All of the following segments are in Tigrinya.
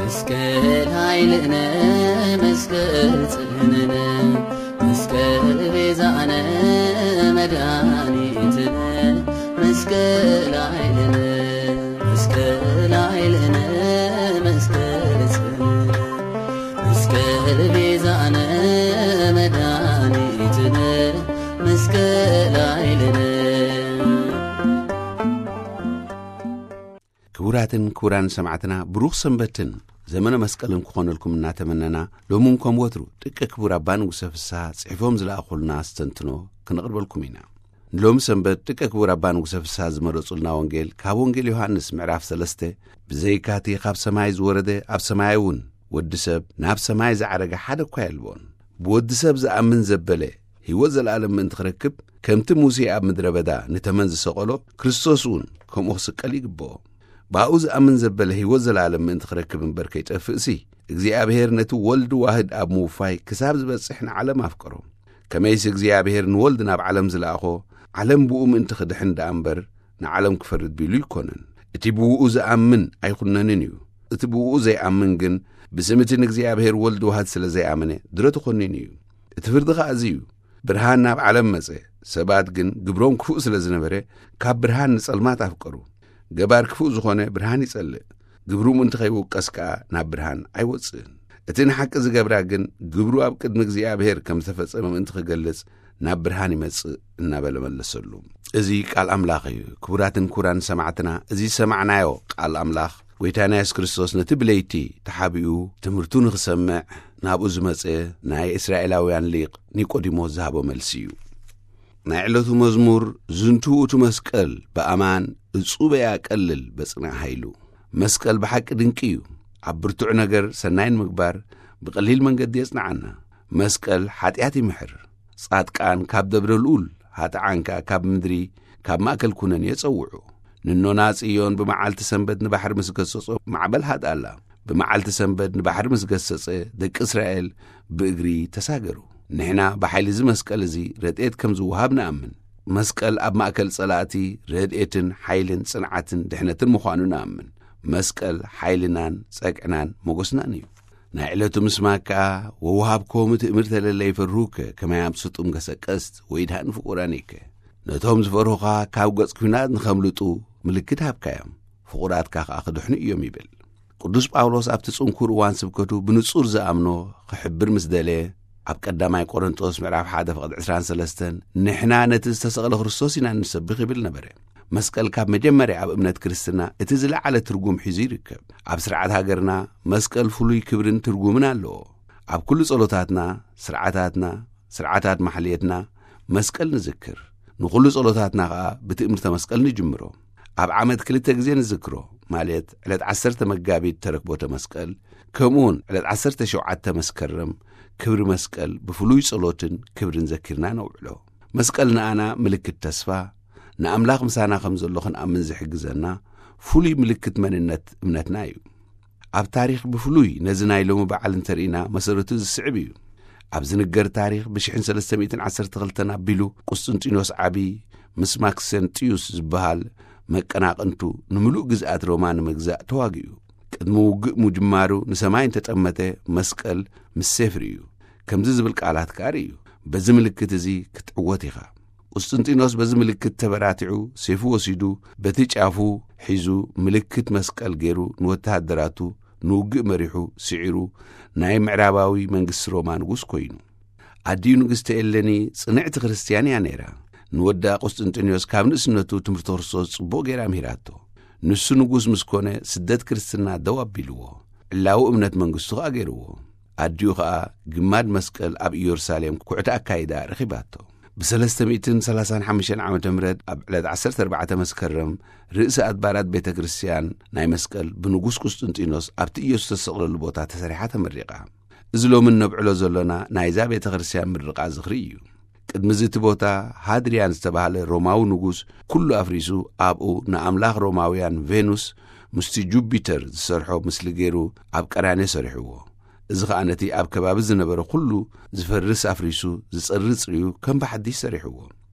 መስቀል ኃይልነ መስቀል ጽንዕነ መስቀል ቤዛነ መድኃኒትነ መስቀል ኃይልነ መስቀል ኃይልነ መስቀል ጽንዕነ መስቀል ቤዛነ መድኃኒትነ መስቀል ኃይልነ። ክቡራትን ክቡራን ሰማዕትና፣ ብሩኽ ሰንበትን ዘመነ መስቀልን ክኾነልኩም እናተመነና፣ ሎምን ከም ወትሩ ጥቀ ክቡር ኣባ ንጉሰ ፍስሓ ጽሒፎም ዝለኣኹልና ኣስተንትኖ ክነቕርበልኩም ኢና። ንሎሚ ሰንበት ጥቀ ክቡር ኣባ ንጉሰ ፍስሓ ዝመረጹልና ወንጌል ካብ ወንጌል ዮሃንስ ምዕራፍ ሰለስተ፣ ብዘይካቲ ካብ ሰማይ ዝወረደ ኣብ ሰማይ እውን ወዲ ሰብ ናብ ሰማይ ዝዓረገ ሓደ እኳ የልቦን። ብወዲ ሰብ ዝኣምን ዘበለ ህይወት ዘለኣለም ምእንቲ ክረክብ፣ ከምቲ ሙሴ ኣብ ምድረ በዳ ንተመን ዝሰቐሎ፣ ክርስቶስ እውን ከምኡ ክስቀል ይግብኦ። ብኣኡ ዝኣምን ዘበለ ህይወት ዘለኣለም ምእንቲ ክረክብ እምበር ከይጠፍእሲ፣ እግዚኣብሔር ነቲ ወልድ ዋህድ ኣብ ምውፋይ ክሳብ ዝበጽሕ ንዓለም ኣፍቀሮ። ከመይሲ እግዚኣብሔር ንወልድ ናብ ዓለም ዝለኣኾ፣ ዓለም ብኡ ምእንቲ ክድሕን ደኣ እምበር፣ ንዓለም ክፈርድ ቢሉ ኣይኮነን። እቲ ብኡ ዝኣምን ኣይኹነንን እዩ። እቲ ብኡ ዘይኣምን ግን፣ ብስም እቲ ንእግዚኣብሔር ወልድ ዋህድ ስለ ዘይኣመነ፣ ድረ ተኾኒኑ እዩ። እቲ ፍርዲ ኸኣ እዚ እዩ። ብርሃን ናብ ዓለም መጸ፣ ሰባት ግን ግብሮም ክፉእ ስለ ዝነበረ፣ ካብ ብርሃን ንጸልማት ኣፍቀሩ። ገባር ክፉእ ዝኾነ ብርሃን ይጸልእ፣ ግብሩ ምእንቲ ከይውቀስ ከኣ ናብ ብርሃን ኣይወጽእን። እቲ ንሓቂ ዝገብራ ግን፣ ግብሩ ኣብ ቅድሚ እግዚኣብሔር ከም ዝተፈጸመ ምእንቲ ክገልጽ፣ ናብ ብርሃን ይመጽእ እናበለ መለሰሉ። እዚ ቃል ኣምላኽ እዩ። ክቡራትን ክቡራን ሰማዕትና፣ እዚ ዝሰማዕናዮ ቃል ኣምላኽ፣ ጐይታና የሱስ ክርስቶስ ነቲ ብለይቲ ተሓቢኡ ትምህርቱ ንኽሰምዕ ናብኡ ዝመጸ ናይ እስራኤላውያን ሊቕ ኒቆዲሞስ ዝሃቦ መልሲ እዩ። ናይ ዕለቱ መዝሙር፣ ዝንቱ ውእቱ መስቀል በኣማን እጹበ ያቀልል በጽናዕ ኃይሉ። መስቀል ብሓቂ ድንቂ እዩ። ኣብ ብርቱዕ ነገር ሰናይ ንምግባር ብቐሊል መንገዲ የጽንዓና። መስቀል ሓጢኣት ይምሕር። ጻድቃን ካብ ደብረ ልኡል፣ ኃጥኣን ከኣ ካብ ምድሪ፣ ካብ ማእከል ኩነን የጸውዑ። ንኖና ጽዮን ብመዓልቲ ሰንበት ንባሕሪ ምስ ገሰጾ ማዕበል ሃድኣላ። ብመዓልቲ ሰንበት ንባሕሪ ምስ ገሰጸ ደቂ እስራኤል ብእግሪ ተሳገሩ። ንሕና ብሓይሊ እዚ መስቀል እዚ ረድኤት ከም ዝወሃብ ንኣምን። መስቀል ኣብ ማእከል ጸላእቲ ረድኤትን ሓይልን ጽንዓትን ድሕነትን ምዃኑ ንኣምን። መስቀል ሓይልናን ጸግዕናን ሞገስናን እዩ። ናይ ዕለቱ ምስማዕ ከኣ፣ "ወውሃብኮሙ ትእምርተ ለለ ይፈርሁከ ከመ ያምጽኡ ጥምቀተ ቀስት ወይድሃኑ ፍቁራኒከ።" ነቶም ዝፈርሁኻ ካብ ገጽ ኲናት ንኸምልጡ ምልክት ሃብካዮም፣ ፍቑራትካ ከኣ ክድሕኑ እዮም ይብል። ቅዱስ ጳውሎስ ኣብቲ ጽንኩር እዋን ስብከቱ ብንጹር ዝኣምኖ ክሕብር ምስ ደለየ፣ ኣብ ቀዳማይ ቆሮንጦስ ምዕራፍ ሓደ ፍቕዲ ዕስራን ሰለስተን፣ "ንሕና ነቲ ዝተሰቕለ ክርስቶስ ኢና እንሰብኽ" ይብል ነበረ። መስቀል ካብ መጀመርያ ኣብ እምነት ክርስትና እቲ ዝለዓለ ትርጉም ሒዙ ይርከብ። ኣብ ስርዓት ሃገርና መስቀል ፍሉይ ክብርን ትርጉምን ኣለዎ። ኣብ ኩሉ ጸሎታትና፣ ስርዓታትና፣ ስርዓታት ማሕሌትና መስቀል ንዝክር። ንኹሉ ጸሎታትና ኸኣ ብትእምርተ መስቀል ንጅምሮ። ኣብ ዓመት ክልተ ግዜ ንዝክሮ፣ ማለት ዕለት ዓሰርተ መጋቢት ተረክቦተ መስቀል፣ ከምኡውን ዕለት ዓሰርተ ሸውዓተ መስከረም ክብሪ መስቀል ብፍሉይ ጸሎትን ክብርን ዘኪርና ነውዕሎ። መስቀል ንኣና ምልክት ተስፋ፣ ንኣምላኽ ምሳና ከም ዘሎ ክንኣምን ዝሕግዘና ፍሉይ ምልክት መንነት እምነትና እዩ። ኣብ ታሪኽ ብፍሉይ ነዚ ናይ ሎሚ በዓል እንተርኢና መሰረቱ ዝስዕብ እዩ። ኣብ ዝንገር ታሪኽ ብሽሕን ሰለስተ ሚእትን ዓሰርተ ክልተን ኣቢሉ ቁስጥንጢኖስ ዓቢ ምስ ማክሰንጢዩስ ዝበሃል መቀናቕንቱ ንምሉእ ግዝኣት ሮማ ንምግዛእ ተዋጊኡ። ቅድሚ ውግእ ምጅማሩ ንሰማይ እንተጠመተ መስቀል ምስ ሴፍ ርእዩ። ከምዚ ዝብል ቃላት ከኣ ርእዩ። በዚ ምልክት እዚ ክትዕወት ኢኻ። ቁስጥንጢኖስ በዚ ምልክት ተበራቲዑ ሴፉ ወሲዱ በቲ ጫፉ ሒዙ ምልክት መስቀል ገይሩ ንወተሃደራቱ ንውግእ መሪሑ ስዒሩ ናይ ምዕራባዊ መንግስቲ ሮማ ንጉስ ኮይኑ። ኣዲኡ ንግስቲ ኤሌኒ ጽንዕቲ ክርስትያን እያ ነይራ። ንወዳ ቁስጥንጢኖስ ካብ ንእስነቱ ትምህርቲ ክርስቶስ ጽቡቕ ገይራ ምሂራቶ። ንሱ ንጉስ ምስ ኮነ ስደት ክርስትና ደው ኣቢልዎ። ዕላዊ እምነት መንግስቱ ከኣ ገይርዎ። ኣዲኡ ኸኣ ግማድ መስቀል ኣብ ኢየሩሳሌም ኩዕቲ ኣካይዳ ረኺባቶ። ብ ሰለስተ ሚእትን ሰላሳን ሓሙሽተን ዓመተ ምህረት ኣብ ዕለት ዓሰርተ ኣርባዕተ መስከረም ርእሰ ኣድባራት ቤተ ክርስቲያን ናይ መስቀል ብንጉስ ቁስጥንጢኖስ ኣብቲ ኢየሱስ ዝተሰቕለሉ ቦታ ተሰሪሓ ተመሪቓ። እዚ ሎሚ እነብዕሎ ዘሎና ናይዛ ቤተ ክርስቲያን ምርቓ ዝኽሪ እዩ። ቅድሚ እዚ እቲ ቦታ ሃድርያን ዝተባህለ ሮማዊ ንጉስ ኩሉ ኣፍሪሱ ኣብኡ ንኣምላኽ ሮማውያን ቬኑስ ምስቲ ጁፒተር ዝሰርሖ ምስሊ ገይሩ ኣብ ቀራንዮ ሰሪሕዎ። እዚ ኸኣ ነቲ ኣብ ከባቢ ዝነበረ ኩሉ ዝፈርስ ኣፍሪሱ ዝጸሪ ጽርዩ ከም ብሓድሽ ሰሪሕዎ።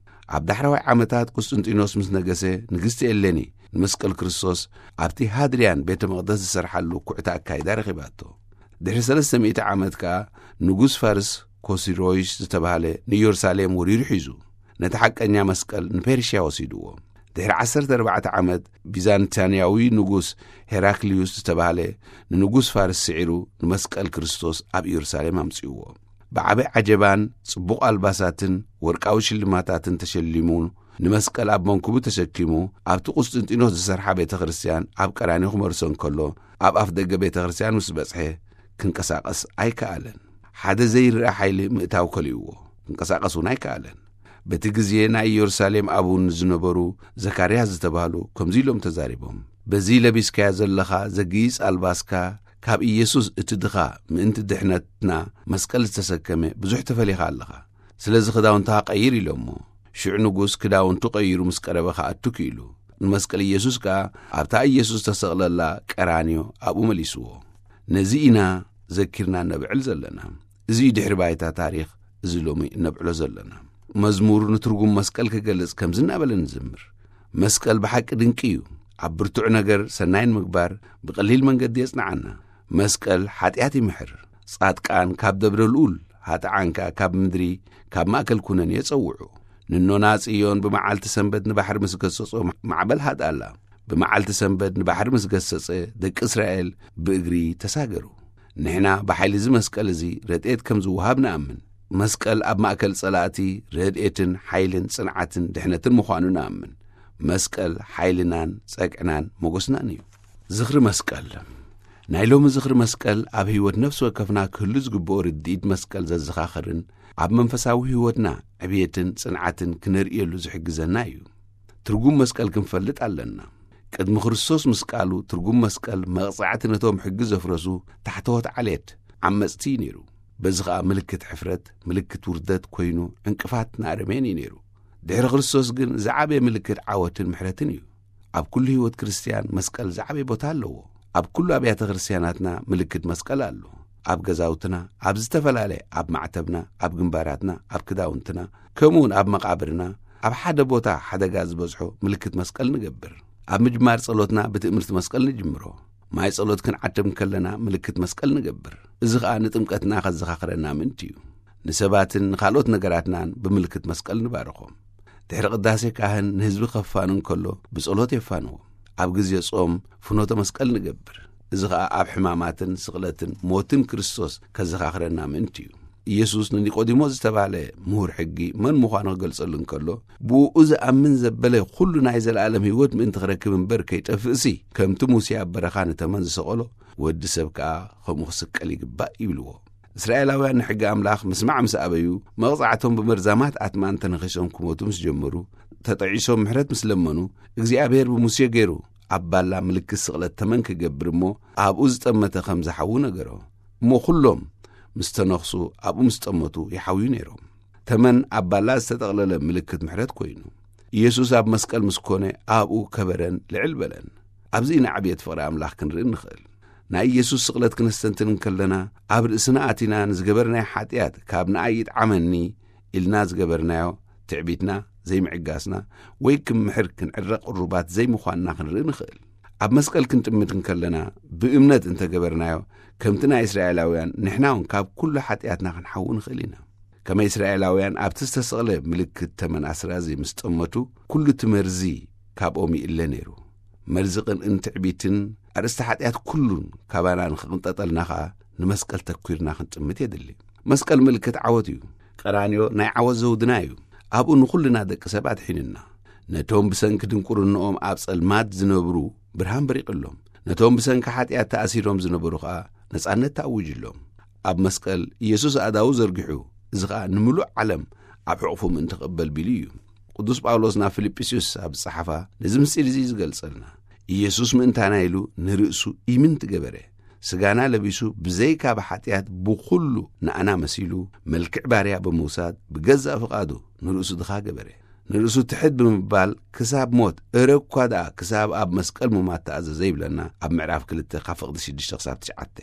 ኣብ ዳሕረዋይ ዓመታት ቁስጥንጢኖስ ምስ ነገሰ፣ ንግስቲ ኤሌኒ ንመስቀል ክርስቶስ ኣብቲ ሃድርያን ቤተ መቕደስ ዝሰርሓሉ ኩዕታ ኣካይዳ ረኺባቶ። ድሕሪ ሰለስተ ሚእቲ ዓመት ከኣ ንጉስ ፋርስ ኮሲሮይስ ዝተባህለ ንኢየሩሳሌም ወሪሩ ሒዙ፣ ነቲ ሓቀኛ መስቀል ንፔርሽያ ወሲድዎ። ድሕሪ ዓሰርተ ኣርባዕተ ዓመት፣ ቢዛንታንያዊ ንጉስ ሄራክልዩስ ዝተባህለ ንንጉስ ፋርስ ስዒሩ፣ ንመስቀል ክርስቶስ ኣብ ኢየሩሳሌም ኣምጺእዎ። ብዓቢ ዓጀባን ጽቡቕ ኣልባሳትን ወርቃዊ ሽልማታትን ተሸሊሙ፣ ንመስቀል ኣብ መንኩቡ ተሰኪሙ፣ ኣብቲ ቁስጥንጢኖስ ዝሰርሓ ቤተ ክርስቲያን ኣብ ቀራንዮ ክመርሶ እንከሎ፣ ኣብ ኣፍ ደገ ቤተ ክርስቲያን ምስ በጽሐ፣ ክንቀሳቐስ ኣይከኣለን። ሓደ ዘይርኣ ሓይሊ ምእታው ከሊእዎ፣ ክንቀሳቐስ እውን ኣይከኣለን። በቲ ግዜ ናይ ኢየሩሳሌም ኣቡን ዝነበሩ ዘካርያስ ዝተባህሉ ከምዚ ኢሎም ተዛሪቦም። በዚ ለቢስካዮ ዘለኻ ዘግይጽ ኣልባስካ፣ ካብ ኢየሱስ እቲ ድኻ ምእንቲ ድሕነትና መስቀል ዝተሰከመ ብዙሕ ተፈሊኻ ኣለኻ። ስለዚ ክዳውንትኻ ቀይር ኢሎሞ። ሽዑ ንጉስ ክዳውንቱ ቀይሩ ምስ ቀረበ ክኣቱ ክኢሉ። ንመስቀል ኢየሱስ ከኣ ኣብታ ኢየሱስ ዝተሰቕለላ ቀራንዮ ኣብኡ መሊስዎ። ነዚ ኢና ዘኪርና ነብዕል ዘለና። እዚ እዩ ድሕሪ ባይታ ታሪኽ እዚ ሎሚ እነብዕሎ ዘለና። መዝሙር ንትርጉም መስቀል ክገልጽ ከምዚ እናበለ ንዝምር። መስቀል ብሓቂ ድንቂ እዩ። ኣብ ብርቱዕ ነገር ሰናይ ንምግባር ብቐሊል መንገዲ የጽንዓና። መስቀል ሓጢኣት ይምሕር። ጻድቃን ካብ ደብረ ልኡል፣ ኃጥኣን ከኣ ካብ ምድሪ፣ ካብ ማእከል ኩነኔ የጸውዑ። ንኖና ጽዮን ብመዓልቲ ሰንበት ንባሕሪ ምስ ገሰጾ ማዕበል ሃድኣላ። ብመዓልቲ ሰንበት ንባሕሪ ምስ ገሰጸ ደቂ እስራኤል ብእግሪ ተሳገሩ። ንሕና ብሓይሊ እዚ መስቀል እዚ ረድኤት ከም ዝወሃብ ንኣምን። መስቀል ኣብ ማእከል ጸላእቲ ረድኤትን ሓይልን ጽንዓትን ድሕነትን ምዃኑ ንኣምን። መስቀል ሓይልናን ጸግዕናን ሞገስናን እዩ። ዝኽሪ መስቀል። ናይ ሎሚ ዝኽሪ መስቀል ኣብ ህይወት ነፍሲ ወከፍና ክህሉ ዝግብኦ ርድኢት መስቀል ዘዘኻኽርን ኣብ መንፈሳዊ ህይወትና ዕብየትን ጽንዓትን ክነርእየሉ ዝሕግዘና እዩ። ትርጉም መስቀል ክንፈልጥ ኣለና። ቅድሚ ክርስቶስ ምስቃሉ ትርጉም መስቀል መቕጻዕቲ ነቶም ሕጊ ዘፍረሱ ታሕተዎት ዓሌት ዓመጽቲ እዩ ነይሩ። በዚ ኸኣ ምልክት ሕፍረት፣ ምልክት ውርደት ኮይኑ ዕንቅፋት ንኣረሜን እዩ ነይሩ። ድሕሪ ክርስቶስ ግን ዝዓበየ ምልክት ዓወትን ምሕረትን እዩ። ኣብ ኩሉ ህይወት ክርስትያን መስቀል ዝዓበየ ቦታ ኣለዎ። ኣብ ኩሉ ኣብያተ ክርስትያናትና ምልክት መስቀል ኣሎ። ኣብ ገዛውትና፣ ኣብ ዝተፈላለየ፣ ኣብ ማዕተብና፣ ኣብ ግንባራትና፣ ኣብ ክዳውንትና፣ ከምኡውን ኣብ መቓብርና፣ ኣብ ሓደ ቦታ ሓደጋ ዝበዝሖ ምልክት መስቀል ንገብር። ኣብ ምጅማር ጸሎትና ብትእምርቲ መስቀል ንጅምሮ። ማይ ጸሎት ክንዓትብ እንከለና ምልክት መስቀል ንገብር። እዚ ኸኣ ንጥምቀትና ከዘኻኽረና ምእንቲ እዩ። ንሰባትን ንኻልኦት ነገራትናን ብምልክት መስቀል ንባርኾም። ድሕሪ ቅዳሴ ካህን ንህዝቢ ከፋኑ እንከሎ ብጸሎት የፋንዎ። ኣብ ግዜ ጾም ፍኖተ መስቀል ንገብር። እዚ ኸኣ ኣብ ሕማማትን ስቕለትን ሞትን ክርስቶስ ከዘኻኽረና ምእንቲ እዩ። ኢየሱስ ንኒቆዲሞስ ዝተባህለ ምሁር ሕጊ መን ምዃኑ ክገልጸሉ እንከሎ፣ ብእኡ ዝኣምን ዘበለ ኩሉ ናይ ዘለኣለም ህይወት ምእንቲ ክረክብ እምበር ከይጠፍእሲ፣ ከምቲ ሙሴ ኣብ በረኻ ንተመን ዝሰቐሎ፣ ወዲ ሰብ ከኣ ከምኡ ክስቀል ይግባእ ይብልዎ። እስራኤላውያን ንሕጊ ኣምላኽ ምስማዕ ምስ ኣበዩ፣ መቕጻዕቶም ብመርዛማት ኣትማን ተነኺሶም ክሞቱ ምስ ጀመሩ፣ ተጠዒሶም ምሕረት ምስ ለመኑ፣ እግዚኣብሔር ብሙሴ ገይሩ ኣብ ባላ ምልክት ስቕለት ተመን ክገብር እሞ፣ ኣብኡ ዝጠመተ ከም ዝሓዊ ነገሮ። እሞ ኩሎም ምስ ተነኽሱ ኣብኡ ምስ ጠመቱ ይሓውዩ ነይሮም። ተመን ኣብ ባላ ዝተጠቕለለ ምልክት ምሕረት ኮይኑ። ኢየሱስ ኣብ መስቀል ምስ ኮነ ኣብኡ ከበረን ልዕል በለን። ኣብዚ ኢና ዕብየት ፍቕሪ ኣምላኽ ክንርኢ ንኽእል። ናይ ኢየሱስ ስቕለት ክነስተንትን እንከለና፣ ኣብ ርእስና ኣቲና ንዝገበርናዮ ሓጢኣት ካብ ንኣይ ይጥዓመኒ ኢልና ዝገበርናዮ ትዕቢትና፣ ዘይምዕጋስና፣ ወይ ክምሕር ክንዕረ ቅሩባት ዘይምዃንና ክንርኢ ንኽእል። ኣብ መስቀል ክንጥምት እንከለና፣ ብእምነት እንተገበርናዮ፣ ከምቲ ናይ እስራኤላውያን ንሕና እውን ካብ ኩሉ ሓጢኣትና ክንሓዊ ንኽእል ኢና። ከመይ እስራኤላውያን ኣብቲ ዝተሰቕለ ምልክት ተመን ኣስራዚ ምስ ጠመቱ፣ ኩሉ እቲ መርዚ ካብኦም ይእለ ነይሩ። መርዚ ቅንእን ትዕቢትን ኣርእስቲ ሓጢኣት ኩሉን ካባና ንኽቕንጠጠልና ኸኣ ንመስቀል ተኲርና ክንጥምት የድሊ። መስቀል ምልክት ዓወት እዩ። ቀራንዮ ናይ ዓወት ዘውድና እዩ። ኣብኡ ንኹልና ደቂ ሰብ ኣድሒኑና። ነቶም ብሰንኪ ድንቁርንኦም ኣብ ጸልማት ዝነብሩ ብርሃን በሪቕሎም። ነቶም ብሰንኪ ሓጢኣት ተኣሲሮም ዝነበሩ ኸኣ ነጻነት ተኣዊጅሎም። ኣብ መስቀል ኢየሱስ ኣእዳዉ ዘርጊሑ፣ እዚ ኸኣ ንምሉእ ዓለም ኣብ ሕቑፉ ምእንቲ ክቕበል ቢሉ እዩ። ቅዱስ ጳውሎስ ናብ ፊልጵስዩስ ኣብ ዝጸሓፋ ነዚ ምስጢር እዚ እዩ ዝገልጸልና። ኢየሱስ ምእንታና ኢሉ ንርእሱ ኢምንት ገበረ። ስጋና ለቢሱ ብዘይካ ብሓጢኣት ብኹሉ ንኣና መሲሉ መልክዕ ባርያ ብምውሳድ ብገዛእ ፍቓዱ ንርእሱ ድኻ ገበረ። ንርእሱ ትሕት ብምባል ክሳብ ሞት፣ እረ እኳ ደኣ ክሳብ ኣብ መስቀል ምማት ተኣዘዘ ይብለና ኣብ ምዕራፍ ክልተ ካብ ፍቕዲ ሽዱሽተ ክሳብ ትሽዓተ።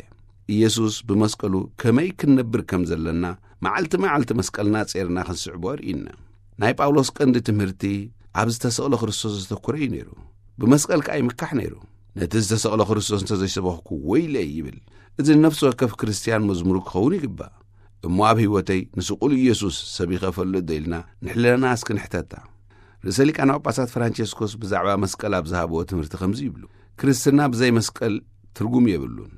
ኢየሱስ ብመስቀሉ ከመይ ክንነብር ከም ዘለና መዓልቲ መዓልቲ መስቀልና ጼርና ክንስዕቦ ኣርእዩና። ናይ ጳውሎስ ቀንዲ ትምህርቲ ኣብ ዝተሰቕለ ክርስቶስ ዘተኮረ እዩ ነይሩ። ብመስቀል ከኣ ይምካሕ ነይሩ። ነቲ ዝተሰቕለ ክርስቶስ እንተዘይሰበኽኩ ወይለይ ይብል። እዚ ንነፍሲ ወከፍ ክርስትያን መዝሙሩ ክኸውን ይግባእ። እሞ ኣብ ህይወተይ ንስቑል ኢየሱስ ሰቢኸ እፈልጥ ዶ ኢልና ንሕለና እስኪ ንሕተታ። ርእሰ ሊቃነ ጳጳሳት ፍራንቸስኮስ ብዛዕባ መስቀል ኣብ ዝሃብዎ ትምህርቲ ከምዚ ይብሉ፣ ክርስትና ብዘይ መስቀል ትርጉም የብሉን።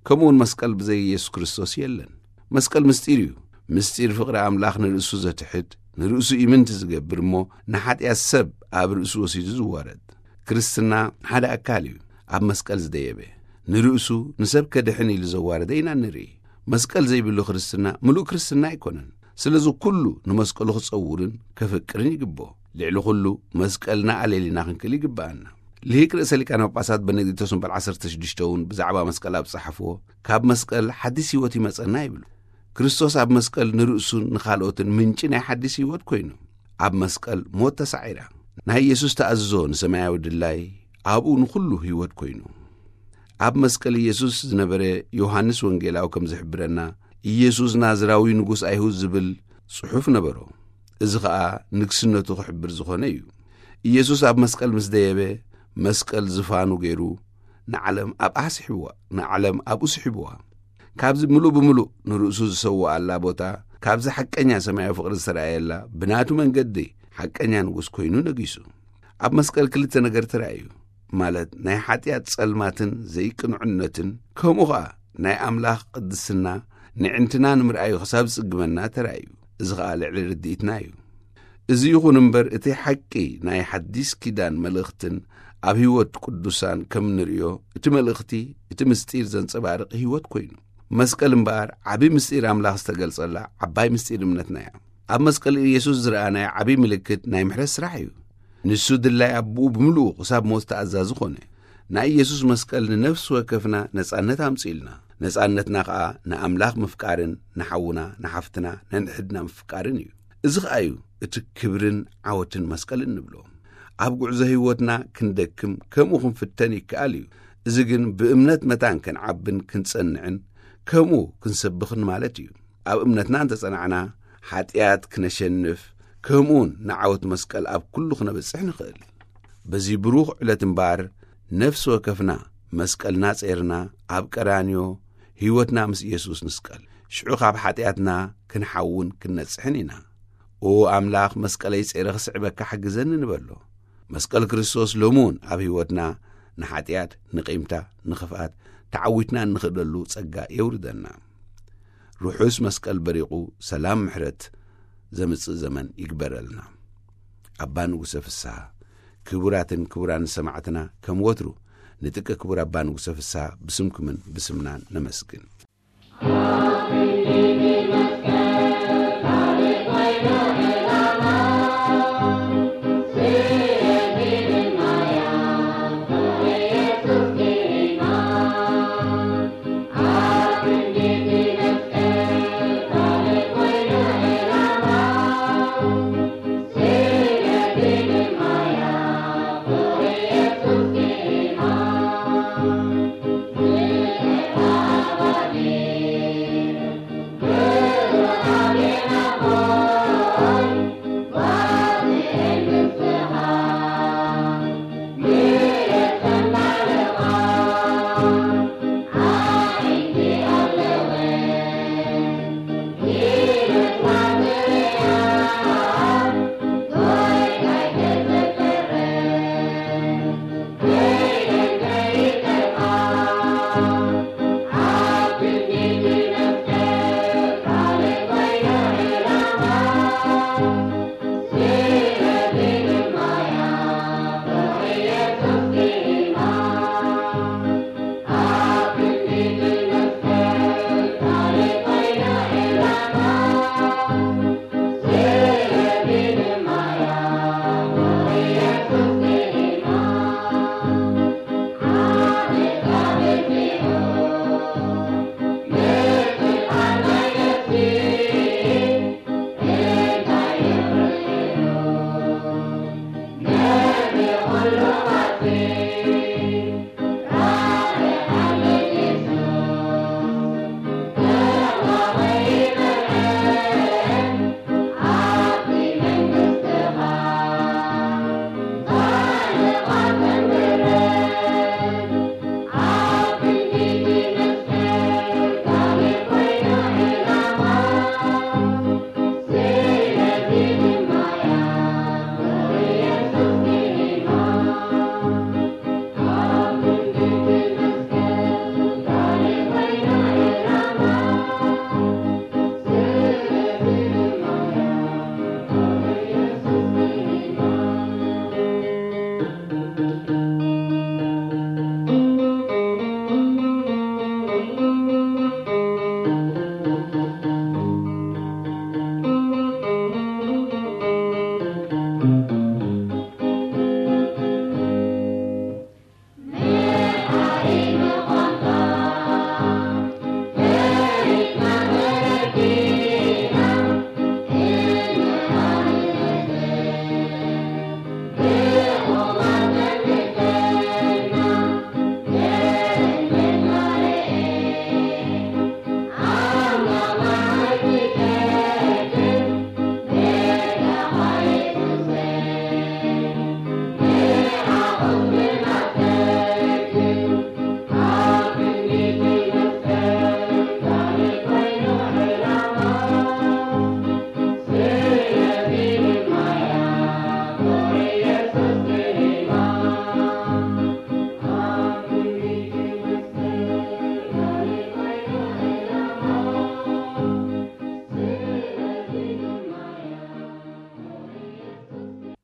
ከምኡውን መስቀል ብዘይ ኢየሱስ ክርስቶስ የለን። መስቀል ምስጢር እዩ። ምስጢር ፍቕሪ ኣምላኽ ንርእሱ ዘትሕድ፣ ንርእሱ ኢምንቲ ዝገብር እሞ ንሓጢኣት ሰብ ኣብ ርእሱ ወሲዱ ዝዋረድ። ክርስትና ሓደ ኣካል እዩ። ኣብ መስቀል ዝደየበ፣ ንርእሱ ንሰብ ከድሕን ኢሉ ዘዋረደ ኢና ንርኢ። መስቀል ዘይብሉ ክርስትና ምሉእ ክርስትና ኣይኮነን። ስለዚ ኩሉ ንመስቀሉ ክጸውርን ከፍቅርን ይግብኦ። ልዕሊ ኩሉ መስቀልና ኣለሊና ክንክእል ይግብኣና። ልሂቅ ርእሰ ሊቃነ ጳጳሳት በነዲክቶስ እምበል ዓሰርተ ሽዱሽተ እውን ብዛዕባ መስቀል ኣብ ጸሓፍዎ፣ ካብ መስቀል ሓዲስ ህይወት ይመጸና ይብሉ። ክርስቶስ ኣብ መስቀል ንርእሱን ንኻልኦትን ምንጪ ናይ ሓዲስ ህይወት ኮይኑ፣ ኣብ መስቀል ሞት ተሳዒራ። ናይ ኢየሱስ ተኣዝዞ ንሰማያዊ ድላይ ኣብኡ ንኹሉ ህይወት ኮይኑ። ኣብ መስቀል ኢየሱስ ዝነበረ ዮሃንስ ወንጌላዊ ከም ዝሕብረና፣ ኢየሱስ ናዝራዊ ንጉስ ኣይሁድ ዝብል ጽሑፍ ነበሮ። እዚ ኸኣ ንግስነቱ ክሕብር ዝኾነ እዩ። ኢየሱስ ኣብ መስቀል ምስ ደየበ፣ መስቀል ዝፋኑ ገይሩ ንዓለም ኣብኣ ስሒብዋ፣ ንዓለም ኣብኡ ስሒብዋ። ካብዚ ምሉእ ብምሉእ ንርእሱ ዝሰውኣላ ቦታ፣ ካብዚ ሓቀኛ ሰማያዊ ፍቕሪ ዝተራእየላ ብናቱ መንገዲ ሓቀኛ ንጉስ ኮይኑ ነጊሱ። ኣብ መስቀል ክልተ ነገር ተራእዩ፣ ማለት ናይ ሓጢኣት ጸልማትን ዘይቅንዕነትን፣ ከምኡ ኸኣ ናይ ኣምላኽ ቅድስና ንዕንትና ንምርኣዩ ክሳብ ዝጽግመና ተራእዩ። እዚ ኸኣ ልዕሊ ርድኢትና እዩ። እዚ ይኹን እምበር፣ እቲ ሓቂ ናይ ሓዲስ ኪዳን መልእኽትን ኣብ ህይወት ቅዱሳን ከም ንርእዮ፣ እቲ መልእኽቲ፣ እቲ ምስጢር ዘንጸባርቕ ህይወት ኮይኑ። መስቀል እምበኣር ዓቢ ምስጢር ኣምላኽ ዝተገልጸላ ዓባይ ምስጢር እምነትና እያ። ኣብ መስቀል ኢየሱስ ዝረኣናዮ ዓቢ ምልክት ናይ ምሕረት ስራሕ እዩ። ንሱ ድላይ ኣቦኡ ብምሉኡ ክሳብ ሞት ተኣዛዚ ኾነ። ናይ ኢየሱስ መስቀል ንነፍሲ ወከፍና ነጻነት ኣምጽእልና። ነጻነትና ኸኣ ንኣምላኽ ምፍቃርን ንሓውና ንሓፍትና ነንሕድና ምፍቃርን እዩ። እዚ ኸኣ እዩ እቲ ክብርን ዓወትን መስቀል እንብሎ። ኣብ ጉዕዞ ህይወትና ክንደክም ከምኡ ክንፍተን ይከኣል እዩ። እዚ ግን ብእምነት መታን ክንዓብን ክንጸንዕን ከምኡ ክንሰብኽን ማለት እዩ። ኣብ እምነትና እንተጸናዕና፣ ሓጢኣት ክነሸንፍ፣ ከምኡውን ንዓወት መስቀል ኣብ ኩሉ ክነበጽሕ ንኽእል። በዚ ብሩኽ ዕለት እምበኣር፣ ነፍሲ ወከፍና መስቀልና ጼርና ኣብ ቀራንዮ ህይወትና ምስ ኢየሱስ ንስቀል። ሽዑ ካብ ሓጢኣትና ክንሓውን ክንነጽሕን ኢና። ኦ ኣምላኽ፣ መስቀለይ ጼረ ክስዕበካ ሓግዘኒ ንበሎ። መስቀል ክርስቶስ ሎሚ እውን ኣብ ህይወትና ንሓጢኣት፣ ንቂምታ፣ ንኽፍኣት ተዓዊትና እንኽእለሉ ጸጋ የውርደና። ርሑስ መስቀል በሪቑ ሰላም ምሕረት ዘምጽእ ዘመን ይግበረልና። ኣባ ንጉሰ ፍስሃ፣ ክቡራትን ክቡራን ሰማዕትና፣ ከም ወትሩ ንጥቀ ክቡር ኣባ ንጉሰ ፍስሃ ብስምኩምን ብስምናን ነመስግን።